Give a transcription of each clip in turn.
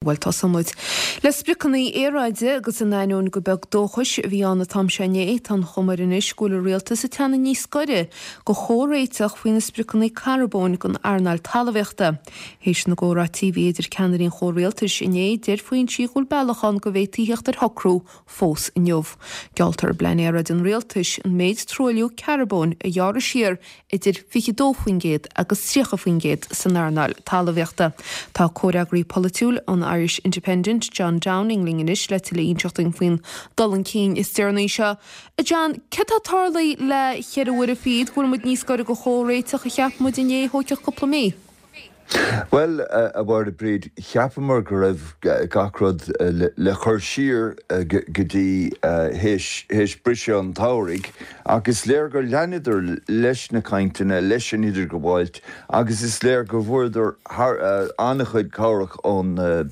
Bhuel, tosóidh muid le spriocanna aeráide agus in ainneoin gur beag dóchais a bhí ann an t-am seo inné, tá an chuma air anois go bhfuil an rialtas ag teannadh níos gaire go chomhréiteach faoi na spriocanna carbóin don earnáil talmhaíochta. Théis na gcomhráití a bhí idir ceannairí an chomhrialtais inné, deir foinsí go bhfuil bealach ann go bhféadfaí theacht ar shocrú fós inniu. Gealltar i bplean aeráide an rialtais an méid truailliú carbóin a ghearradh siar idir 22% agus 30% san earnáil talmhaíochta. Tá comhfhreagraí polaitiúil an Irish Independent, John Downing, linn anois le tuilleadh a inseacht dúinn faoin dul chun cinn is deireanaí seo. A John, céard atá tarlaithe le cheithre uaire fichead go bhfuil muid níos gaire do chomhréiteach a cheap muid inné a thógfadh cúpla mí? Bhuel, a Mháire Bríd, cheapamar go raibh gach rud le cur siar go dtí théis briseadh an tsamhraidh ach is léir gur leanadar leis na cainteanna, leis an idirghabháilt agus is léir go bhfuaireadar an-chuid cabhrach ó na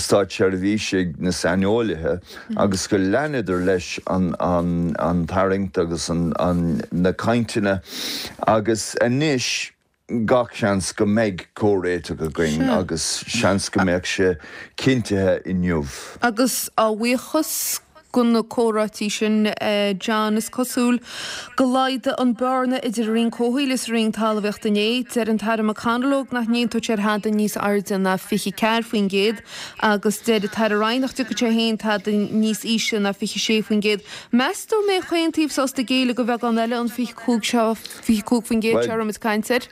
státseirbhísigh, na saineolaithe agus go leanadar leis an tarraingt agus na cainteanna agus anois gach seans go mbeidh comhréiteach againn agus seans go mbeadh sé cinntithe inniu. Agus a bhuíochas do na comhráití sin, John, is cosúil go laghdaigh an bearna idir an Roinn Comhshaoil is an Roinn Talmhaíochta inné. Deir an tAire McConalogue nach n-aontódh sé ar thada níos airde ná 24% agus deir an tAire Ryan nach dtiocfadh sé féin tada níos ísle ná 26%. Meas tú an mbeidh chaon taobh sásta géilleadh do bheagán eile an 25 seo, 25% seo a raibh muid ag caint air?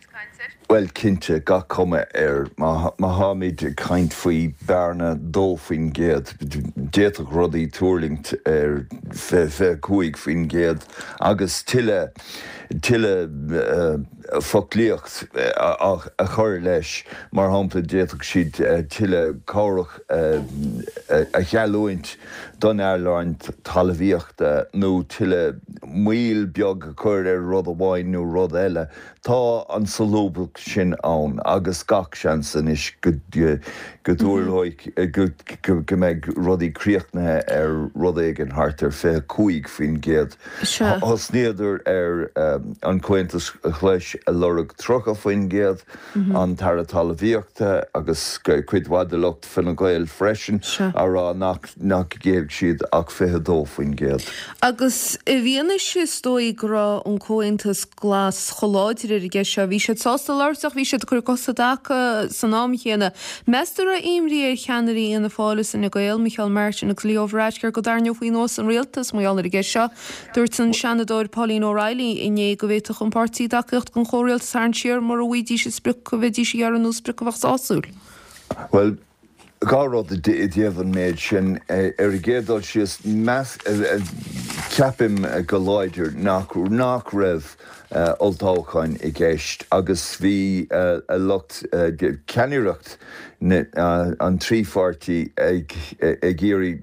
Bhuel, cinnte, gach cuma air, má tháimid ag caint faoi bhearna 2%, d'fhéadfadh rudaí tuirlingt ar 25% agus tuilleadh, tuilleadh foclaíocht a chur leis. Mar shampla, d'fhéadfadh siad tuilleadh cabhrach a gheallúint don earnáil talmhaíochta nó tuilleadh moill beag a chur ar rud amháin nó rud eile. Tá an solúbthacht sin ann agus gach seans anois go dtarlóidh go mbeidh rudaí críochnaithe ar rud éigin thart ar 25%. Thosnaíodar ar an Chomhaontas Ghlais ag lorg 30%, an tAire Talmhaíochta agus cuid mhaith de lucht Fine Gael freisin á rá nach ngéillfeadh siad ach 22%. Agus i bhfianaise, is dóigh, go raibh an Comhaontas Glas chomh láidir ar an gceist seo, bhí siad sásta labhairt ach bhí siad ag cur a gcos i dtaca san am chéanna. Meas tú an raibh imní ar cheannairí Fhianna Fáil is Fhine Gael, Micheál Martin agus Leo Varadkar, go dtarraingeofaí anuas an rialtas mar gheall ar an gceist seo? Dúirt an Seanadóir Pauline O'Reilly inné go bhféadfadh an páirtí a dtacaíocht don chomhrialtas a tharraingt siar mura bhfaighidís an sprioc a bheidís a iarraidh nó sprioc a bheadh sásúil. Bhuel, dhá rud i dtaobh an méid sin. Ar an gcéad dul síos, ceapaim go láidir nach nach raibh olltoghchán i gceist agus bhí a lucht ceannaireacht an trí pháirtí ag iarraidh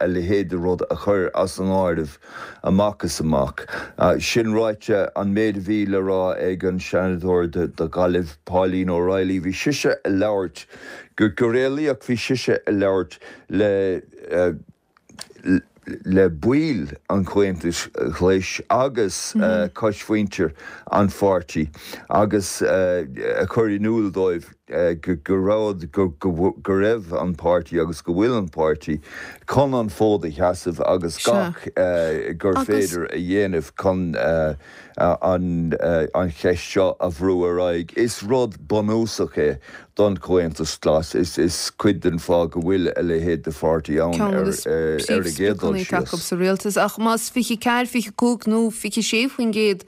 a leithéid de rud a chur as an áireamh amach is amach. Sin ráite, an méid a bhí le rá ag an Seanadóir do Ghaillimh, Pauline O'Reilly, bhí sise ag labhairt, go réalaíoch, bhí sise ag labhairt le le baill an Chomhaontais Ghlais agus coismhuintir an pháirtí agus ag cur in iúl dóibh go raibh, go raibh an páirtí agus go bhfuil an páirtí chun an fód a sheasamh agus gach gur féidir a dhéanamh chun an cheist seo a bhrú ar aghaidh. Is rud bunúsach é don Chomhaontas Glas. Is cuid den fáth go bhfuil a leithéid de pháirtí ann ar an gcéad dul síos. sa rialtas. Ach más 24, 25 nó 26%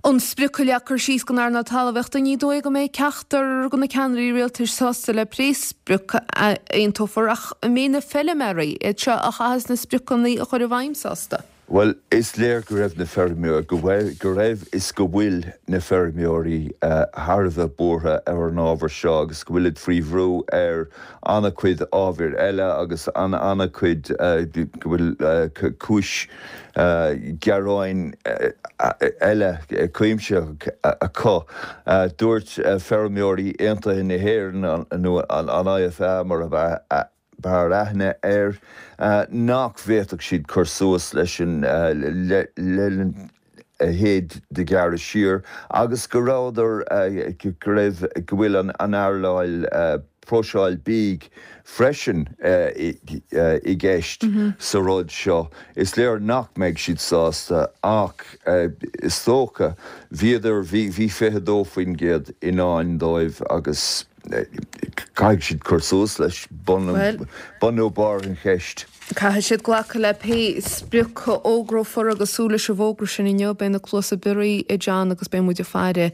an sprioc a leagtar síos don earnáil talmhaíochta, ní dóigh go mbeidh ceachtar de na ceannairí rialtais sásta le pé sprioc a aontófar. Ach an mbeidh na feilméaraí, iad seo a chaithfeas na spriocanna a chur i bhfeidhm, sásta? Bhuel, is léir go raibh na feirmeoirí, go bhfuil, go raibh is go bhfuil na feirmeoirí thar a bheith buartha ar an ábhar seo agus go bhfuilid faoi bhrú ar an-chuid ábhair eile agus an-chuid, go bhfuil cúis gearáin eile cuimsitheach acu. Dúirt Feirmeoirí Aontaithe na hÉireann, nó an IFA mar a b'fhearr aithne air, nach bhféadfadh siad cur suas leis an leithéid de ghearradh siar agus go rabhadar, go raibh, go bhfuil an earnáil. próiseáil bídh freisin i gceist sa rud seo. Is léir nach mbeidh siad sásta ach is dócha, bhíodar, bhí 22% i ndán dóibh agus caithfidh siad cur suas leis, bun nó barr an cheist. Caithfidh siad glacadh le pé sprioc a fhógrófar agus súil leis an bhfógra sin inniu. Beidh na cluasa bioraí ag John agus beidh muid ag faire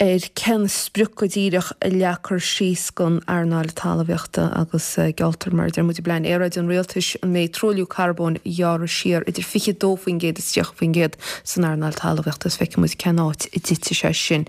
ar cén sprioc go díreach a leagfar síos don earnáil talmhaíochta agus gealltar, mar a deir muid i bPlean Aeráide an Rialtais, an mbeidh truailliú carbóin a ghearradh siar idir 22% is 30% san earnáil talmhaíochta is feicfidh muid cén áit a dtitfidh sé sin.